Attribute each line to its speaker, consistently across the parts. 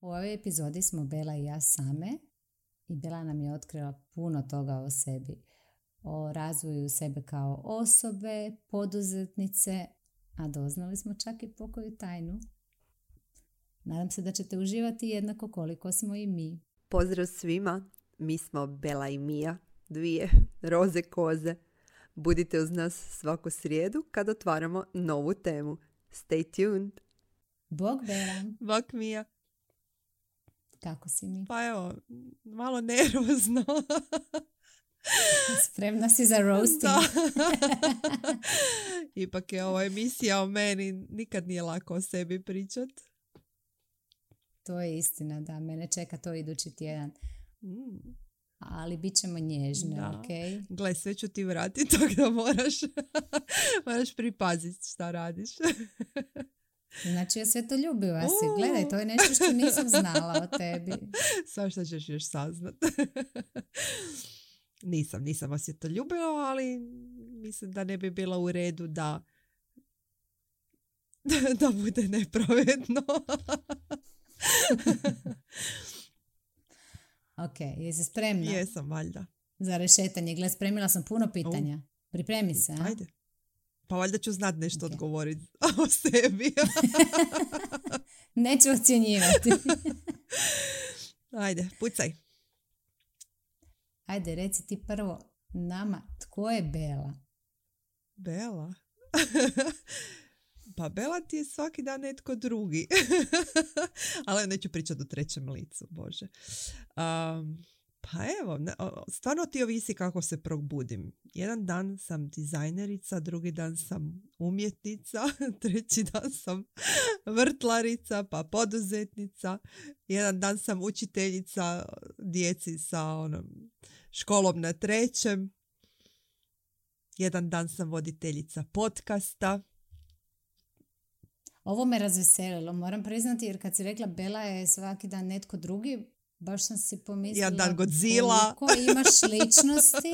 Speaker 1: U ovoj epizodi smo Bela i ja same i Bela nam je otkrila puno toga o sebi. O razvoju sebe kao osobe, poduzetnice, a doznali smo čak i pokoju tajnu. Nadam se da ćete uživati jednako koliko smo i mi.
Speaker 2: Pozdrav svima, mi smo Bela i Mija, dvije roze koze. Budite uz nas svaku srijedu kad otvaramo novu temu. Stay tuned!
Speaker 1: Bog Bela.
Speaker 3: Bog Mija.
Speaker 1: Kako si mi?
Speaker 3: Pa evo, malo nervozno.
Speaker 1: Spremna si za roasting.
Speaker 3: Da. Ipak je ovo emisija o meni, nikad nije lako o sebi pričat.
Speaker 1: To je istina, da. Mene čeka to idući tjedan. Ali bit ćemo nježne,
Speaker 3: da.
Speaker 1: Ok?
Speaker 3: Gle, sve ću ti vratiti, tako da moraš pripaziti šta radiš.
Speaker 1: Znači, ja sve to ljubiva si. Gledaj, to je nešto što nisam znala o tebi.
Speaker 3: Samo što ćeš još saznat. Nisam vas je to ljubila, ali mislim da ne bi bila u redu da bude nepravedno.
Speaker 1: Ok, jesi spremna?
Speaker 3: Jesam, valjda.
Speaker 1: Za rešetanje. Gle, spremila sam puno pitanja. Pripremi se, a?
Speaker 3: Ajde. Pa valjda ću znat nešto odgovoriti o sebi.
Speaker 1: Neću ocjenjivati.
Speaker 3: Ajde, pucaj.
Speaker 1: Ajde, reci ti prvo nama, tko je Bela?
Speaker 3: Bela? Pa Bela ti je svaki dan netko drugi. Ali neću pričati u trećem licu, Bože. Pa evo, stvarno ti ovisi kako se probudim. Jedan dan sam dizajnerica, drugi dan sam umjetnica, treći dan sam vrtlarica, pa poduzetnica. Jedan dan sam učiteljica djeci sa školom na trećem. Jedan dan sam voditeljica podcasta.
Speaker 1: Ovo me razveselilo, moram priznati, jer kad si rekla Bela je svaki dan netko drugi, baš sam si pomislila
Speaker 3: dan Godzilla.
Speaker 1: Koliko imaš ličnosti.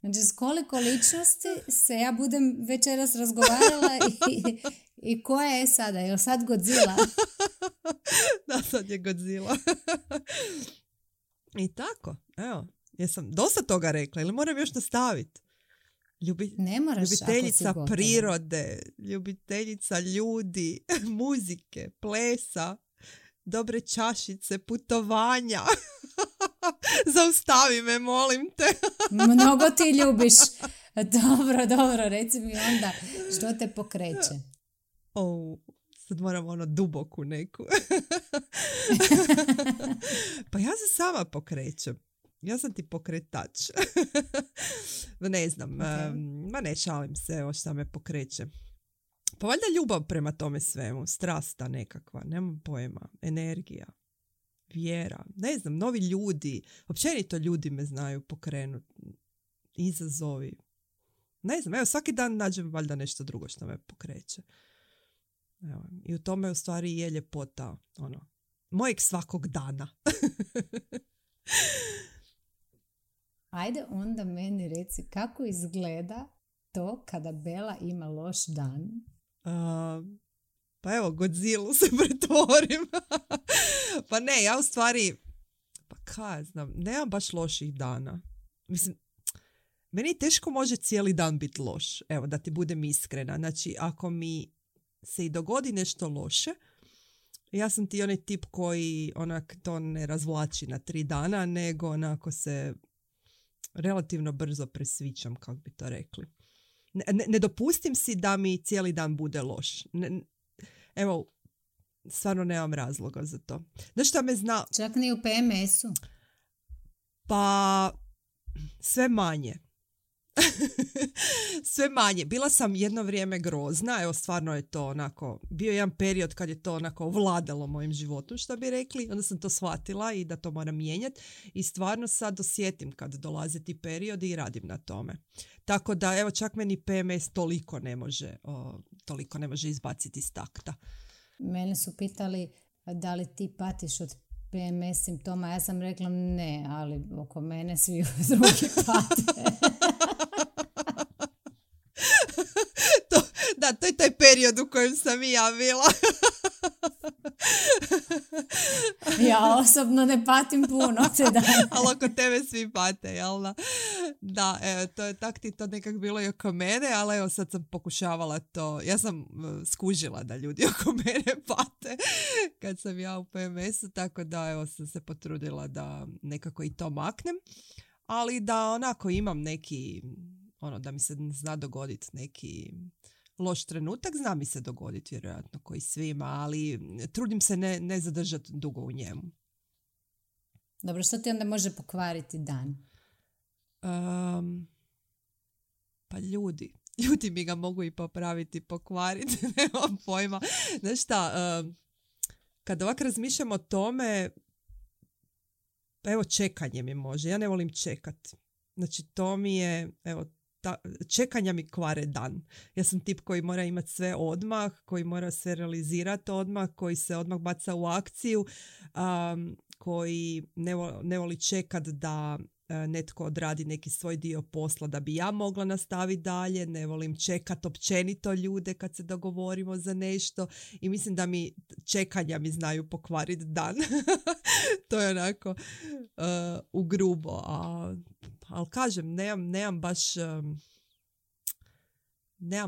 Speaker 1: Znači, s koliko ličnosti se ja budem večeras razgovarala i koja je sada? Je li sad Godzilla?
Speaker 3: Da, sad je Godzilla. I tako, evo, jesam dosta toga rekla, ili moram još nastaviti?
Speaker 1: Ne moraš,
Speaker 3: ljubiteljica prirode, ljubiteljica ljudi, muzike, plesa, dobre čašice, putovanja. Zaustavi me, molim te.
Speaker 1: Mnogo ti ljubiš. Dobro, reci mi onda što te pokreće.
Speaker 3: Sad moram duboku neku. Pa ja se sama pokrećem. Ja sam ti pokretač. Ne znam, ma ne šalim se, evo šta me pokreće. Pa valjda ljubav prema tome svemu, strasta nekakva, nemam pojma, energija, vjera, ne znam, novi ljudi, općenito ljudi me znaju pokrenuti, izazovi. Ne znam, evo svaki dan nađem valjda nešto drugo što me pokreće. Evo, i u tome u stvari je ljepota, mojeg svakog dana.
Speaker 1: Ajde onda meni reci kako izgleda to kada Bela ima loš dan.
Speaker 3: Pa evo, Godzilla se pretvorim. Pa ne, ja u stvari, pa kaj znam, nemam baš loših dana. Mislim, meni teško može cijeli dan biti loš. Evo, da ti budem iskrena. Znači, ako mi se i dogodi nešto loše, ja sam ti onaj tip koji to ne razvlači na 3 dana, nego onako se relativno brzo presvićam, kako bi to rekli. Ne dopustim si da mi cijeli dan bude loš. Evo, stvarno nemam razloga za to. Znaš šta me zna?
Speaker 1: Čak ni u PMS-u?
Speaker 3: Pa, sve manje. Sve manje. Bila sam jedno vrijeme grozna, evo stvarno je to bio jedan period kad je to vladalo mojim životom, što bi rekli, onda sam to shvatila i da to moram mijenjati i stvarno sad osjetim kad dolaze ti periodi i radim na tome. Tako da, evo, čak meni PMS toliko ne može izbaciti iz takta.
Speaker 1: Mene su pitali da li ti patiš od PMS simptoma, ja sam rekla ne, ali oko mene svi drugi pate.
Speaker 3: To je taj period u kojem sam i ja bila.
Speaker 1: Ja osobno ne patim puno te dane.
Speaker 3: Ali oko tebe svi pate, jel da? Da, to je tak ti to nekak bilo i oko mene, ali evo sad sam pokušavala to. Ja sam skužila da ljudi oko mene pate kad sam ja u PMS-u, tako da evo sam se potrudila da nekako i to maknem. Ali da onako imam neki, da mi se zna dogoditi neki loš trenutak, zna mi se dogoditi vjerojatno koji svima, ali trudim se ne zadržati dugo u njemu.
Speaker 1: Dobro, što ti onda može pokvariti dan?
Speaker 3: Pa ljudi mi ga mogu i popraviti, pokvariti, nemam pojma. Znaš šta, kad ovak razmišljam o tome, evo čekanje mi može, ja ne volim čekat. Znači to mi je, evo, čekanja mi kvare dan. Ja sam tip koji mora imati sve odmah, koji mora sve realizirati odmah, koji se odmah baca u akciju, koji ne voli čekat da netko odradi neki svoj dio posla da bi ja mogla nastaviti dalje, ne volim čekat općenito ljude kad se dogovorimo za nešto i mislim da mi čekanja mi znaju pokvariti dan. To je onako u grubo, ali kažem, nemam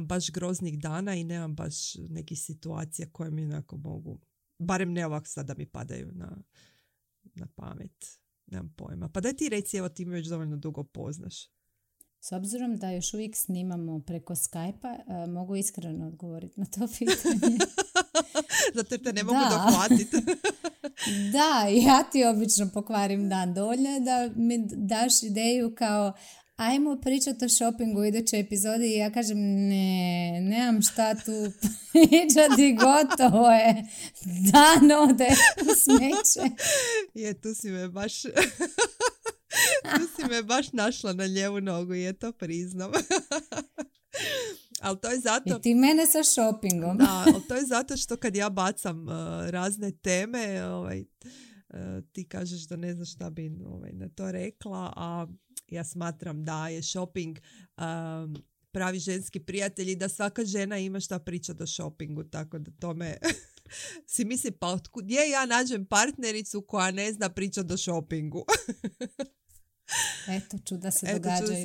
Speaker 3: baš groznih dana i nemam baš nekih situacija koje mi onako mogu, barem ne ovako sad da mi padaju na pamet. Nemam pojma. Pa daj ti reci, evo ti me već dovoljno dugo poznaš.
Speaker 1: S obzirom da još uvijek snimamo preko Skype-a, mogu iskreno odgovoriti na to pitanje.
Speaker 3: Zato jer te ne mogu dohvatiti.
Speaker 1: Da, ja ti obično pokvarim dan. Dovoljno je da mi daš ideju kao ajmo pričati o shoppingu u idućoj epizodi i ja kažem nemam šta tu pričati, gotovo je, dan ode u smeće.
Speaker 3: Je, tu si me baš našla na lijevu nogu, je to priznam. Ali to je zato...
Speaker 1: I ti mene sa shoppingom.
Speaker 3: Da, ali to je zato što kad ja bacam razne teme, ti kažeš da ne znaš šta bi na to rekla, a ja smatram da je shopping pravi ženski prijatelj i da svaka žena ima šta pričati o shoppingu, tako da tome si mislim, pa gdje ja nađem partnericu koja ne zna pričati o shoppingu?
Speaker 1: Eto, čuda se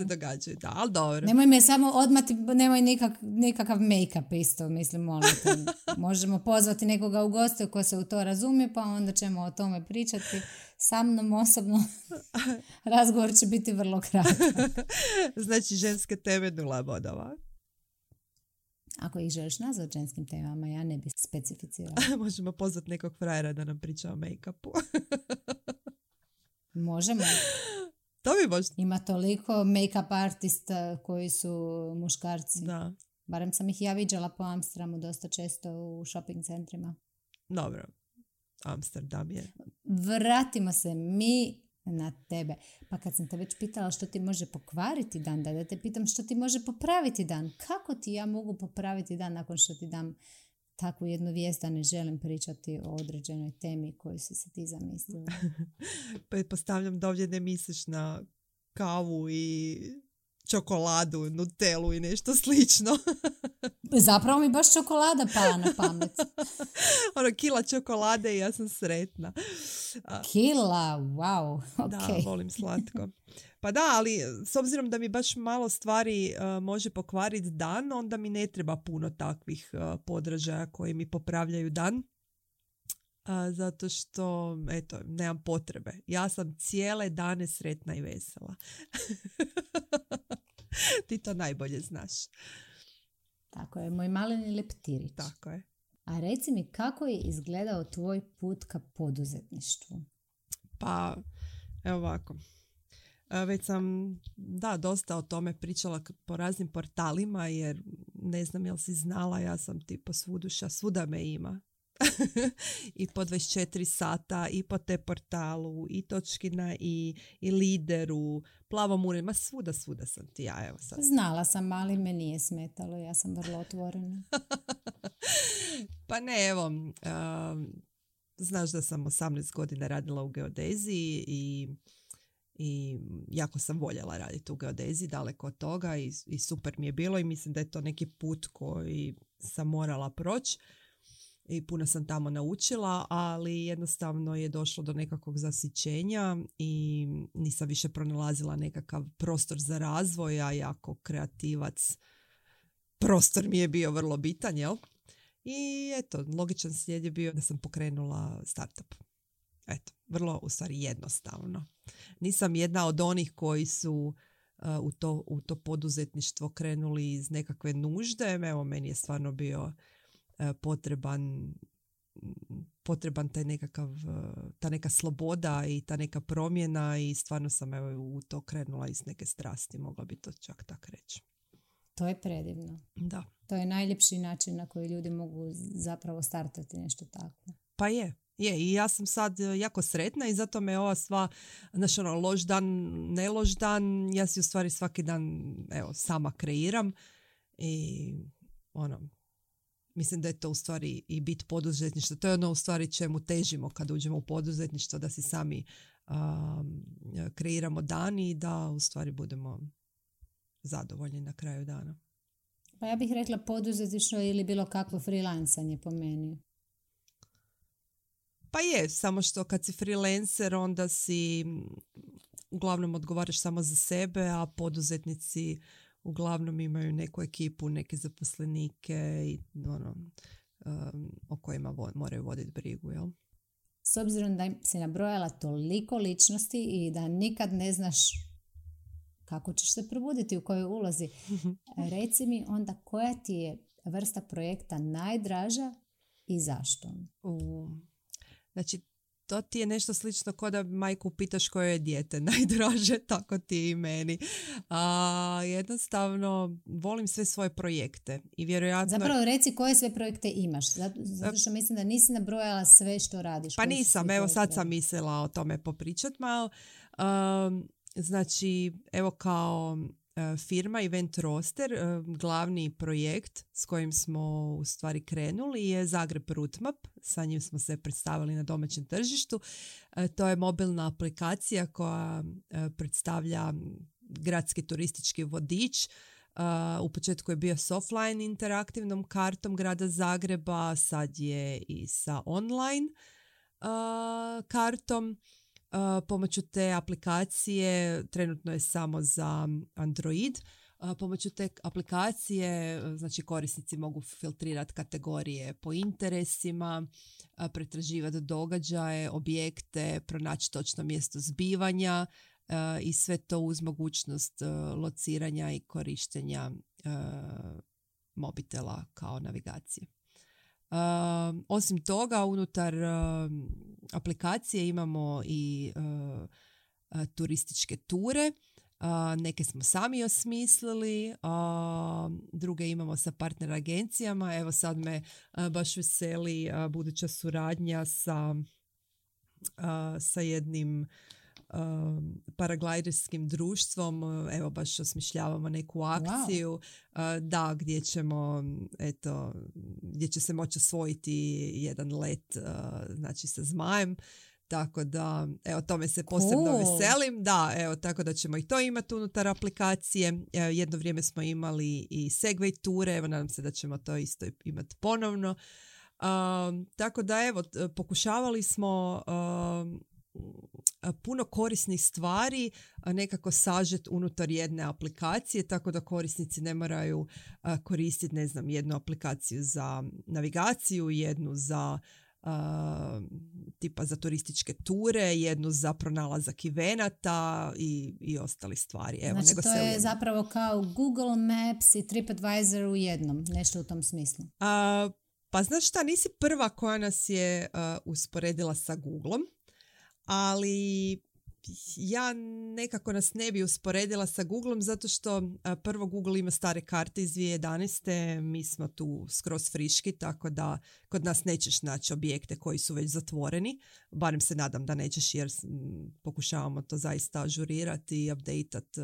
Speaker 3: događaju, da, ali dobro.
Speaker 1: Nemoj me samo odmati, nemoj nikakav make-up isto, mislim, molim te. Možemo pozvati nekoga u goste ko se u to razumije, pa onda ćemo o tome pričati. Sa mnom osobno razgovor će biti vrlo kratak.
Speaker 3: Znači, ženske teme 0 bodova.
Speaker 1: Ako ih želiš nazvati ženskim temama, ja ne bi specificirala.
Speaker 3: Možemo pozvati nekog frajera da nam priča o make-upu.
Speaker 1: Možemo.
Speaker 3: To bi možda.
Speaker 1: Ima toliko make-up artista koji su muškarci.
Speaker 3: Da.
Speaker 1: Barem sam ih ja viđala po Amsterdamu dosta često u shopping centrima.
Speaker 3: Dobro. Amsterdam je.
Speaker 1: Vratimo se mi na tebe. Pa kad sam te već pitala što ti može pokvariti dan, da te pitam što ti može popraviti dan. Kako ti ja mogu popraviti dan nakon što ti dam takvu jednu vijest da ne želim pričati o određenoj temi koju si ti zamislila?
Speaker 3: Pretpostavljam da ovdje ne misliš na kavu i čokoladu, nutelu i nešto slično.
Speaker 1: Zapravo mi baš čokolada pala na pamet.
Speaker 3: Kila čokolade i ja sam sretna.
Speaker 1: Kila, wow. Okay.
Speaker 3: Da, volim slatko. Pa da, ali s obzirom da mi baš malo stvari može pokvariti dan, onda mi ne treba puno takvih podražaja koji mi popravljaju dan. Zato što, eto, nemam potrebe. Ja sam cijele dane sretna i vesela. Ti to najbolje znaš.
Speaker 1: Tako je, moj maleni leptirić.
Speaker 3: Tako je.
Speaker 1: A reci mi, kako je izgledao tvoj put ka poduzetništvu?
Speaker 3: Pa, evo ovako. Već sam, dosta o tome pričala po raznim portalima, jer ne znam jel si znala, ja sam tipo svuduša, svuda me ima. I po 24 sata, i po te portalu, i Točkina, i Lideru, Plavom uredima, svuda sam ti ja, evo sad.
Speaker 1: Znala sam, ali me nije smetalo, ja sam vrlo otvorena.
Speaker 3: Pa ne, evo, znaš da sam 18 godina radila u geodeziji i jako sam voljela raditi u geodeziji, daleko od toga i super mi je bilo i mislim da je to neki put koji sam morala proći. i puno sam tamo naučila, ali jednostavno je došlo do nekakvog zasićenja i nisam više pronalazila nekakav prostor za razvoj, a jako kreativac prostor mi je bio vrlo bitan, jel? I eto, logičan slijed je bio da sam pokrenula startup. Eto, vrlo u stvari jednostavno. Nisam jedna od onih koji su u to poduzetništvo krenuli iz nekakve nužde. Evo, meni je stvarno bio potreban taj nekakav, ta neka sloboda i ta neka promjena i stvarno sam u to krenula iz neke strasti, mogla bi to čak tak reći.
Speaker 1: To je predivno.
Speaker 3: Da.
Speaker 1: To je najljepši način na koji ljudi mogu zapravo startati nešto takvo.
Speaker 3: Pa je. I ja sam sad jako sretna i zato me ova sva, znaš, loš dan, ne loš dan, ja si u stvari svaki dan sama kreiram i mislim da je to u stvari i bit poduzetništva. To je ono u stvari čemu težimo kad uđemo u poduzetništvo, da si sami kreiramo dan i da u stvari budemo zadovoljni na kraju dana.
Speaker 1: Pa ja bih rekla poduzetništvo ili bilo kakvo freelancanje po meni.
Speaker 3: Pa je, samo što kad si freelancer onda si uglavnom odgovaraš samo za sebe, a poduzetnici uglavnom imaju neku ekipu, neke zaposlenike i o kojima moraju voditi brigu, jel?
Speaker 1: S obzirom da si nabrojala toliko ličnosti i da nikad ne znaš kako ćeš se probuditi, u kojoj ulozi, reci mi onda koja ti je vrsta projekta najdraža i zašto?
Speaker 3: Znači, to ti je nešto slično kao da majku pitaš koje je dijete najdraže, tako ti i meni. Jednostavno, volim sve svoje projekte i vjerojatno...
Speaker 1: Zapravo reci koje sve projekte imaš, zato što mislim da nisi nabrojala sve što radiš.
Speaker 3: Pa nisam, evo sad sam mislila o tome popričat malo. Znači, evo kao firma Event Roster, glavni projekt s kojim smo u stvari krenuli je Zagreb Route Map. Sa njim smo se predstavili na domaćem tržištu. To je mobilna aplikacija koja predstavlja gradski turistički vodič. U početku je bio s offline interaktivnom kartom grada Zagreba, sad je i sa online kartom. Pomoću te aplikacije, trenutno je samo za Android, pomoću te aplikacije znači korisnici mogu filtrirati kategorije po interesima, pretraživati događaje, objekte, pronaći točno mjesto zbivanja i sve to uz mogućnost lociranja i korištenja mobitela kao navigacije. Osim toga, unutar aplikacije imamo i turističke ture. Neke smo sami osmislili, druge imamo sa partner agencijama. Evo sad me baš veseli buduća suradnja sa jednim paraglajderskim društvom. Evo baš osmišljavamo neku akciju, da, gdje će se moći osvojiti jedan let znači sa zmajem. Tako da, evo, tome se posebno veselim. Da, evo, tako da ćemo i to imati unutar aplikacije. Jedno vrijeme smo imali i Segway ture, evo, nadam se da ćemo to isto imati ponovno. Tako da, evo, pokušavali smo puno korisnih stvari nekako sažet unutar jedne aplikacije, tako da korisnici ne moraju koristiti, ne znam, jednu aplikaciju za navigaciju, jednu za tipa za turističke ture, jednu za pronalazak evenata i ostali stvari. Evo,
Speaker 1: znači to je zapravo kao Google Maps i TripAdvisor u jednom, nešto u tom smislu.
Speaker 3: Pa znaš šta, nisi prva koja nas je usporedila sa Googleom, ali ja nekako nas ne bi usporedila sa Googleom zato što prvo Google ima stare karte iz 2011. Mi smo tu skroz friški, tako da kod nas nećeš naći objekte koji su već zatvoreni. Barem se nadam da nećeš jer pokušavamo to zaista ažurirati i updateati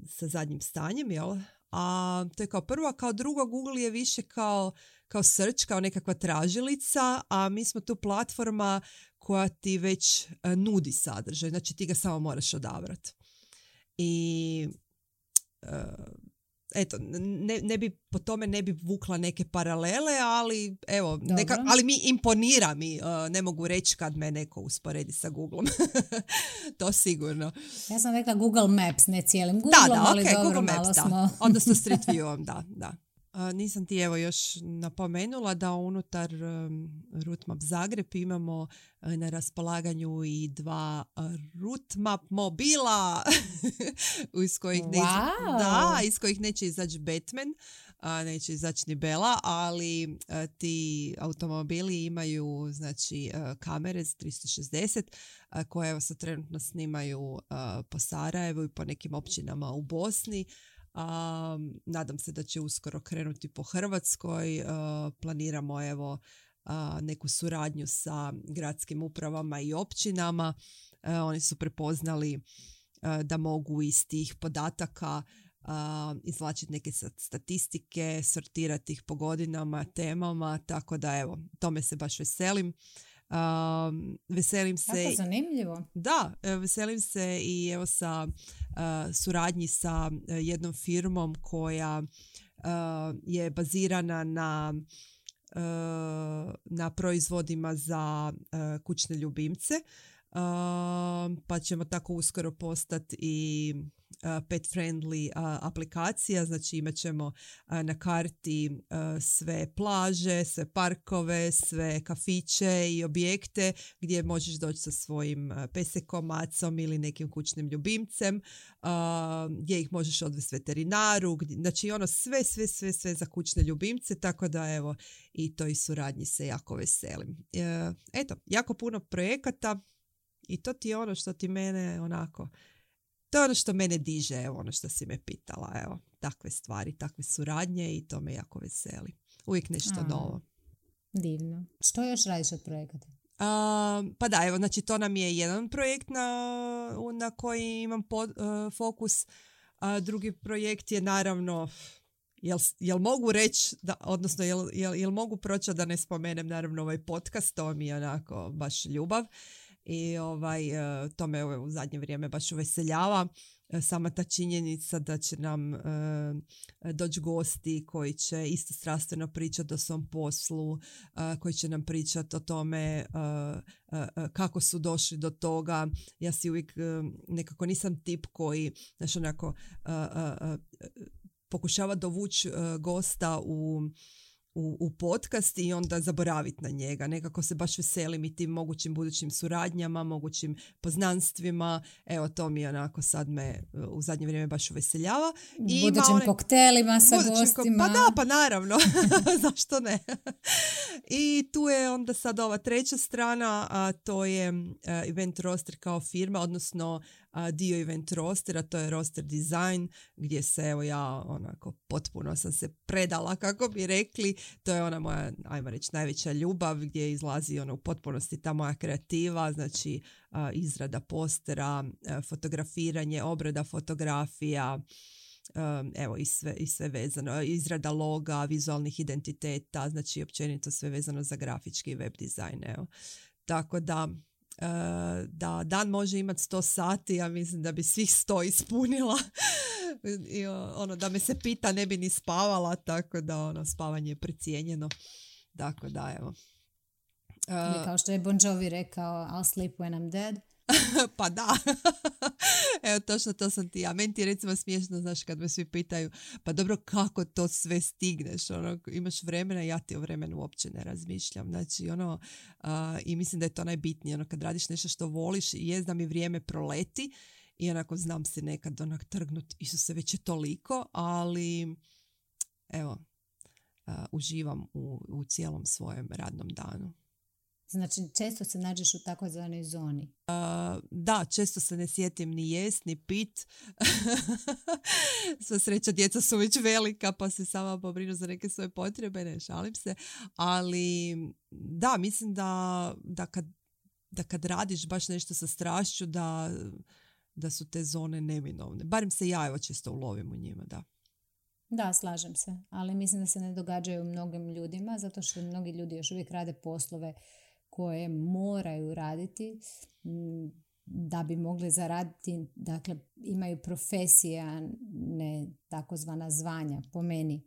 Speaker 3: sa zadnjim stanjem, jel? A to je kao prvo, a kao drugo Google je više kao search, kao nekakva tražilica, a mi smo tu platforma koja ti već nudi sadržaj, znači ti ga samo moraš odabrati. I eto, po tome ne bi vukla neke paralele, ali evo,
Speaker 1: Dobro.
Speaker 3: ali imponira mi, ne mogu reći kad me neko usporedi sa Googlom. To sigurno.
Speaker 1: Ja sam rekla Google Maps, ne cijelim Googlom, ali
Speaker 3: okay,
Speaker 1: dobro,
Speaker 3: Google
Speaker 1: malo
Speaker 3: Maps,
Speaker 1: smo...
Speaker 3: Odnosno Street Viewom, da. Nisam ti evo još napomenula da unutar Route Zagreb imamo na raspolaganju i 2 Route Map mobila iz kojih neće izaći Batman, neće izaći ni Bela, ali ti automobili imaju znači kamere za 360 koje evo sad trenutno snimaju po Sarajevu i po nekim općinama u Bosni. Nadam se da će uskoro krenuti po Hrvatskoj. Planiramo evo neku suradnju sa gradskim upravama i općinama. Oni su prepoznali da mogu iz tih podataka izvlačiti neke statistike, sortirati ih po godinama, temama, tako da evo, tome se baš veselim. Veselim se.
Speaker 1: Kako zanimljivo.
Speaker 3: Da, veselim se i evo sa suradnji sa jednom firmom koja je bazirana na proizvodima za kućne ljubimce. Pa ćemo tako uskoro postati i pet friendly aplikacija, znači imat ćemo na karti sve plaže, sve parkove, sve kafiće i objekte gdje možeš doći sa svojim pesekom, macom ili nekim kućnim ljubimcem, gdje ih možeš odvesti veterinaru, znači ono sve za kućne ljubimce, tako da evo i toj suradnji se jako veselim. Eto, jako puno projekata i to ti je ono što ti mene onako, to je ono što mene diže, evo ono što si me pitala, evo, takve stvari, takve suradnje i to me jako veseli. Uvijek nešto novo.
Speaker 1: Divno. Što još radiš od projekata?
Speaker 3: Pa da, evo, znači to nam je jedan projekt na koji imam fokus. Drugi projekt je naravno, jel mogu reći, odnosno jel mogu proći da ne spomenem naravno ovaj podcast, to mi je onako baš ljubav. I to me u zadnje vrijeme baš uveseljava. Sama ta činjenica da će nam doći gosti koji će isto strastveno pričati o svom poslu, koji će nam pričati o tome kako su došli do toga. Ja si uvijek nekako nisam tip koji onako pokušava dovući gosta u podcast i onda zaboraviti na njega. Nekako se baš veselim i tim mogućim budućim suradnjama, mogućim poznanstvima. Evo, to mi onako sad me u zadnje vrijeme baš uveseljava.
Speaker 1: Budućim koktelima sa gostima.
Speaker 3: Pa naravno. Zašto ne? I tu je onda sad ova treća strana, a to je Event Roster kao firma, odnosno dio Event Rostera, to je Roster Design, gdje se evo ja onako potpuno sam se predala, kako bi rekli. To je ona moja, ajmo reći, najveća ljubav, gdje izlazi u potpunosti ta moja kreativa, znači izrada postera, fotografiranje, obrada fotografija, evo i sve vezano, izrada loga, vizualnih identiteta, znači općenito sve vezano za grafički web dizajn. Evo. Tako da dan može imati 100 sati, ja mislim da bi svih 100 ispunila. I da me se pita ne bi ni spavala, tako da spavanje je precijenjeno. Tako da evo.
Speaker 1: Ili kao što je Bon Jovi rekao, I'll sleep when I'm dead.
Speaker 3: Pa da. Evo, točno to sam ti ja. Meni ti je recimo smiješno, znaš, kad me svi pitaju, pa dobro, kako to sve stigneš? Imaš vremena, ja ti o vremenu uopće ne razmišljam. Znači, i mislim da je to najbitnije. Kad radiš nešto što voliš, jest da mi vrijeme proleti i onako znam se nekad trgnut, Isuse, već je toliko, ali evo, uživam u cijelom svojem radnom danu.
Speaker 1: Znači, često se nađeš u takozvanoj zoni.
Speaker 3: Da, često se ne sjetim ni jest, ni pit. Sva sreća, djeca su već velika, pa se sama pobrinu za neke svoje potrebe, ne šalim se. Ali da, mislim da kad radiš baš nešto sa strašću, da su te zone neminovne. Barem se ja evo često ulovim u njima, da.
Speaker 1: Da, slažem se, ali mislim da se ne događaju mnogim ljudima, zato što mnogi ljudi još uvijek rade poslove koje moraju raditi. da bi mogli zaraditi, dakle imaju profesije, a ne takozvana zvanja, po meni.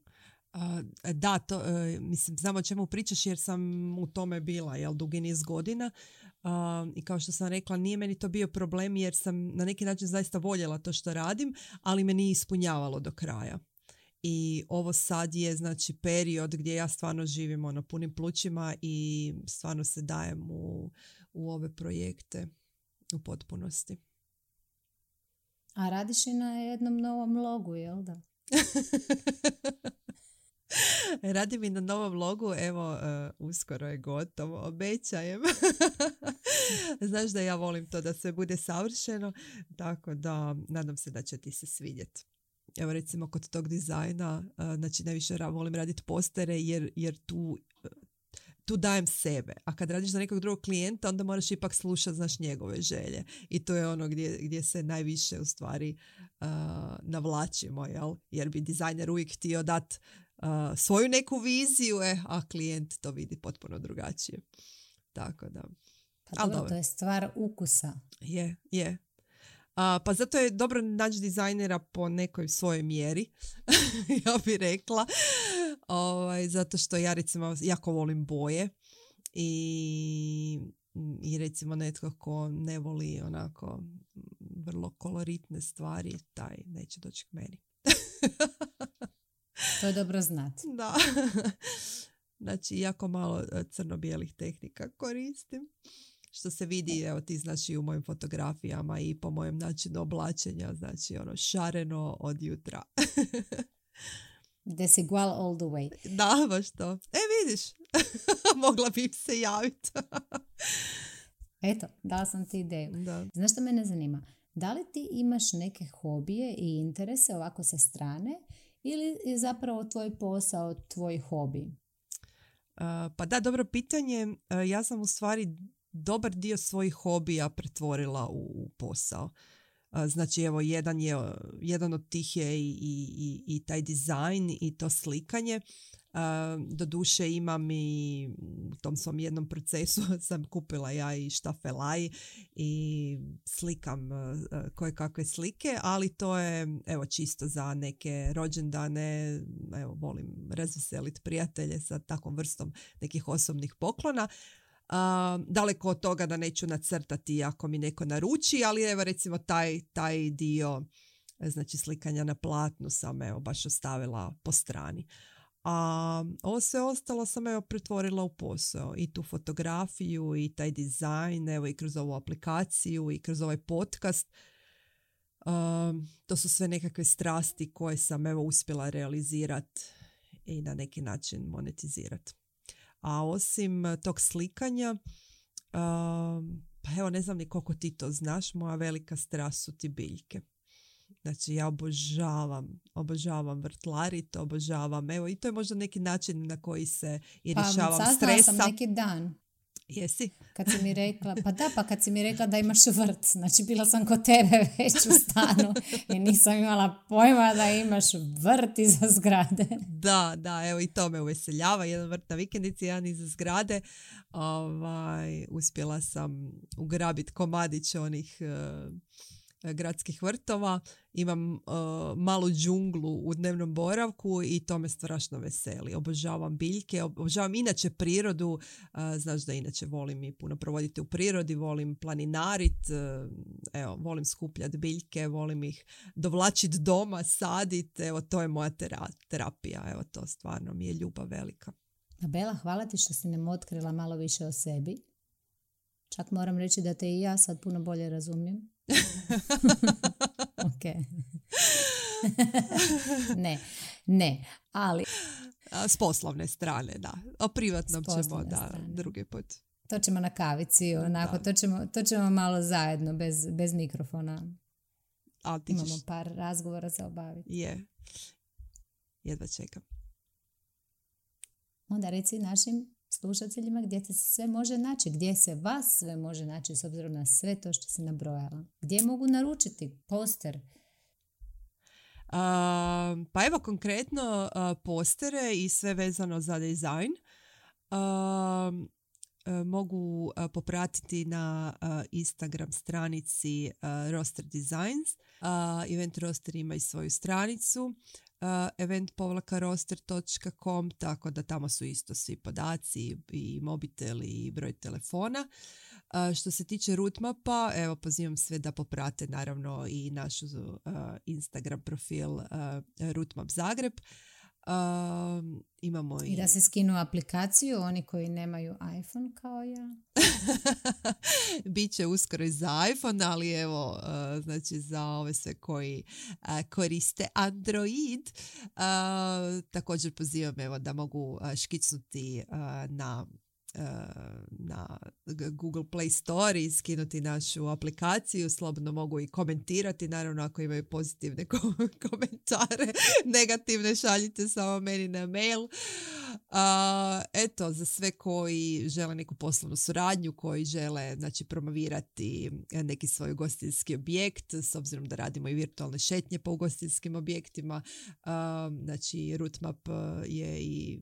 Speaker 3: Da, to, mislim, znam o čemu pričaš jer sam u tome bila, dugi niz godina. I kao što sam rekla, nije meni to bio problem jer sam na neki način zaista voljela to što radim, ali me nije ispunjavalo do kraja. I ovo sad je znači period gdje ja stvarno živim na punim plućima i stvarno se dajem u ove projekte u potpunosti.
Speaker 1: A radiš i na jednom novom logu, jel da?
Speaker 3: Radim i na novom logu, evo, uskoro je gotovo, obećajem. Znaš da ja volim to da sve bude savršeno, tako da nadam se da će ti se svidjeti. Evo recimo kod tog dizajna, znači najviše volim raditi postere jer tu dajem sebe. A kad radiš za nekog drugog klijenta, onda moraš ipak slušati, znaš, njegove želje. I to je ono gdje se najviše u stvari navlačimo, jel? Jer bi dizajner uvijek htio dati svoju neku viziju, a klijent to vidi potpuno drugačije. Tako da.
Speaker 1: Pa dobro, to je stvar ukusa.
Speaker 3: Je. Pa zato je dobro naći dizajnera po nekoj svojoj mjeri, ja bih rekla. Zato što ja recimo jako volim boje i recimo netko ko ne voli onako vrlo koloritne stvari, taj neće doći k meni.
Speaker 1: To je dobro znati.
Speaker 3: Da. Znači, jako malo crno-bijelih tehnika koristim. Što se vidi, evo ti znaš i u mojim fotografijama i po mojem načinu oblačenja, znači šareno od jutra.
Speaker 1: Desigual all the way.
Speaker 3: Da, baš to. Vidiš, mogla bi im se javiti.
Speaker 1: Eto, dala sam ti ideju.
Speaker 3: Da.
Speaker 1: Znaš što mene zanima? Da li ti imaš neke hobije i interese ovako sa strane ili je zapravo tvoj posao tvoj hobi?
Speaker 3: Pa da, dobro pitanje. Ja sam u stvari dobar dio svojih hobija pretvorila u posao. Znači, evo, jedan od tih je i taj dizajn i to slikanje. Doduše imam i u tom svom jednom procesu sam kupila ja i štafelaj i slikam koje kakve slike, ali to je evo čisto za neke rođendane, evo volim razveseliti prijatelje sa takvom vrstom nekih osobnih poklona. Daleko od toga da neću nacrtati ako mi neko naruči, ali evo recimo taj dio, znači slikanja na platnu sam evo baš ostavila po strani. A ovo sve ostalo sam evo pretvorila u posao i tu fotografiju i taj dizajn, evo i kroz ovu aplikaciju i kroz ovaj podcast. To su sve nekakve strasti koje sam evo uspjela realizirati i na neki način monetizirati. A osim tog slikanja, pa evo ne znam ni koliko ti to znaš, moja velika strast su ti biljke. Znači ja obožavam vrtlarit, evo i to je možda neki način na koji se i rješavam stresa.
Speaker 1: Sam neki dan.
Speaker 3: Jesi?
Speaker 1: Kad si mi rekla, kad si mi rekla da imaš vrt, znači bila sam kod tebe već u stanu i nisam imala pojma da imaš vrt iza zgrade.
Speaker 3: Da, evo i to me uveseljava, jedan vrt na vikendici, jedan iza zgrade. Uspjela sam ugrabiti komadić onih gradskih vrtova, imam malu džunglu u dnevnom boravku i to me strašno veseli. Obožavam biljke, obožavam inače prirodu, znaš da inače volim i puno provoditi u prirodi, volim planinarit, evo, volim skupljati biljke, volim ih dovlačiti doma, saditi, evo to je moja terapija, evo to stvarno mi je ljubav velika.
Speaker 1: Bela, hvala ti što si nam otkrila malo više o sebi. Čak moram reći da te i ja sad puno bolje razumijem. Ok. Ne, ali...
Speaker 3: S poslovne strane, da. O privatnom ćemo, da, drugi put.
Speaker 1: To ćemo na kavici, onako, to ćemo malo zajedno, bez mikrofona. Imamo par razgovora za obaviti.
Speaker 3: Je. Jedva čekam.
Speaker 1: Onda reci našim slušateljima gdje se sve može naći, gdje se vas sve može naći s obzirom na sve to što si nabrojala. Gdje mogu naručiti poster?
Speaker 3: Pa evo konkretno postere i sve vezano za dizajn. mogu popratiti na Instagram stranici Roster Designs. Event Roster ima i svoju stranicu event-roster.com, tako da tamo su isto svi podaci i mobitel i broj telefona. Što se tiče Rootmapa, evo pozivam sve da poprate naravno i našu Instagram profil Rootmap Zagreb. Imamo
Speaker 1: I da se skinu aplikaciju oni koji nemaju iPhone kao ja.
Speaker 3: Biće uskoro i za iPhone, ali evo, znači za ove sve koji koriste Android, također pozivam evo da mogu škicnuti na Google Play Store i skinuti našu aplikaciju. Slobodno mogu i komentirati, naravno ako imaju pozitivne komentare, negativne šaljite samo meni na mail. Eto, za sve koji žele neku poslovnu suradnju, koji žele znači promovirati neki svoj ugostiteljski objekt, s obzirom da radimo i virtualne šetnje po ugostiteljskim objektima, znači Rootmap je i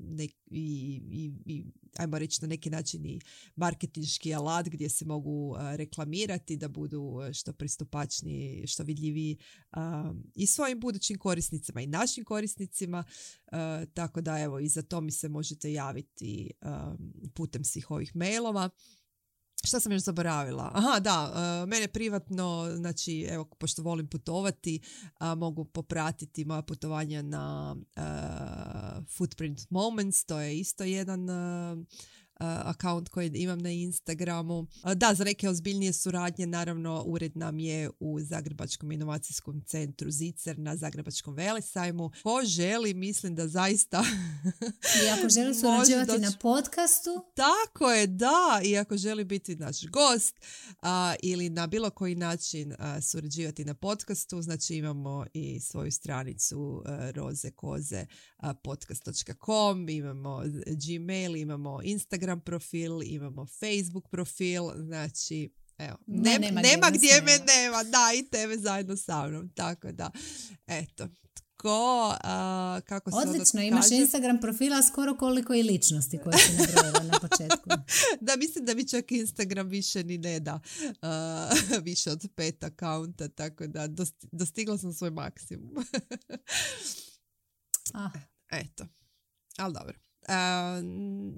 Speaker 3: ajmo reći na neki način i marketinški alat gdje se mogu reklamirati da budu što pristupačniji, što vidljiviji i svojim budućim korisnicima i našim korisnicima, tako da evo i za to mi se možete javiti putem svih ovih mailova. Šta sam još zaboravila? Aha, da, mene privatno, znači, evo, pošto volim putovati, mogu popratiti moja putovanja na Footprint Moments, to je isto jedan account koji imam na Instagramu. Da, za neke ozbiljnije suradnje, naravno, ured nam je u Zagrebačkom inovacijskom centru Zicer na Zagrebačkom velesajmu. Ko želi, mislim da zaista
Speaker 1: i ako želi surađivati na podcastu.
Speaker 3: Tako je, da. I ako želi biti naš gost ili na bilo koji način surađivati na podcastu, znači imamo i svoju stranicu rozekoze.podcast.com, imamo Gmail, imamo Instagram profil, imamo Facebook profil, znači evo, nema gdje me nema, da, i tebe zajedno sa mnom, tako da, eto. Kako se
Speaker 1: odlično, imaš Instagram profila skoro koliko i ličnosti koje si nabrojila na početku.
Speaker 3: Da, mislim da mi čak Instagram više ni ne da više od 5 akaunta, tako da dostigla sam svoj maksimum. Eto, ali dobro.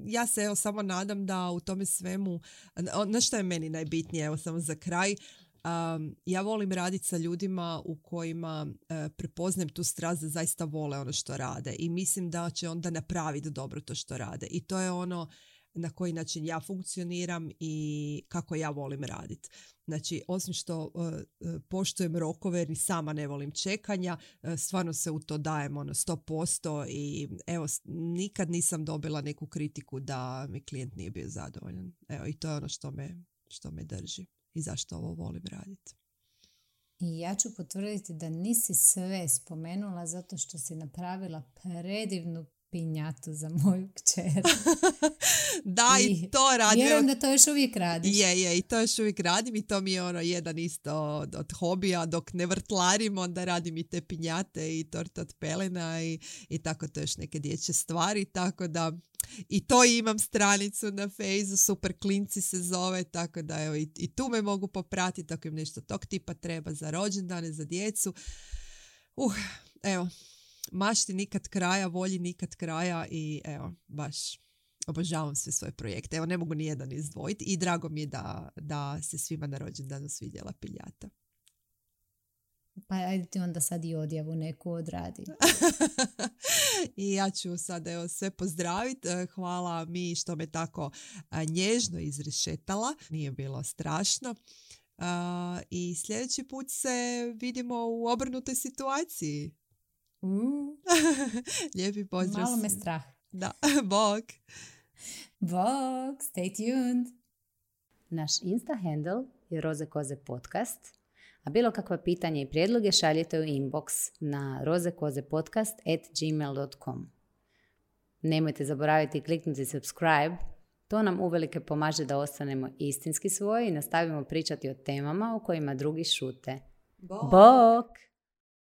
Speaker 3: Ja se evo samo nadam da u tome svemu, na što je meni najbitnije, evo samo za kraj, ja volim raditi sa ljudima u kojima prepoznajem tu strast da zaista vole ono što rade i mislim da će onda napraviti dobro to što rade i to je ono na koji način ja funkcioniram i kako ja volim raditi. Znači, osim što poštujem rokove jer ni sama ne volim čekanja, stvarno se u to dajem 100% i evo, nikad nisam dobila neku kritiku da mi klijent nije bio zadovoljan. Evo, i to je ono što me drži i zašto ovo volim raditi.
Speaker 1: I ja ću potvrditi da nisi sve spomenula zato što si napravila predivnu pinjatu za moju kćer.
Speaker 3: Da, i to radim.
Speaker 1: Vjerujem da to još uvijek radiš.
Speaker 3: Je, i to još uvijek radim i to mi je jedan isto od hobija. Dok ne vrtlarim, onda radim i te pinjate i torta od pelena i tako to još neke dječje stvari, tako da i to imam stranicu na Fejzu, Super klinci se zove, tako da evo, i tu me mogu popratiti ako im nešto tog tipa treba za rođendane, za djecu. Evo, mašti nikad kraja, volji nikad kraja i evo, baš obožavam sve svoje projekte. Evo, ne mogu ni jedan izdvojiti i drago mi je da se svima na rođendanu svidjela piljata.
Speaker 1: Pa ajde ti onda sad i odjavu neku odradi.
Speaker 3: I ja ću sad evo sve pozdraviti. Hvala mi što me tako nježno izrešetala. Nije bilo strašno. I sljedeći put se vidimo u obrnutoj situaciji. Lijepi pozdrav.
Speaker 1: Malo me strah.
Speaker 3: Da, bok.
Speaker 1: Bok, stay tuned. Naš Insta handle je rozekoze podcast, a bilo kakva pitanja i prijedloge šaljite u inbox na rozekozepodcast@gmail.com. Nemojte zaboraviti kliknuti subscribe, to nam uvelike pomaže da ostanemo istinski svoji i nastavimo pričati o temama o kojima drugi šute. Bok!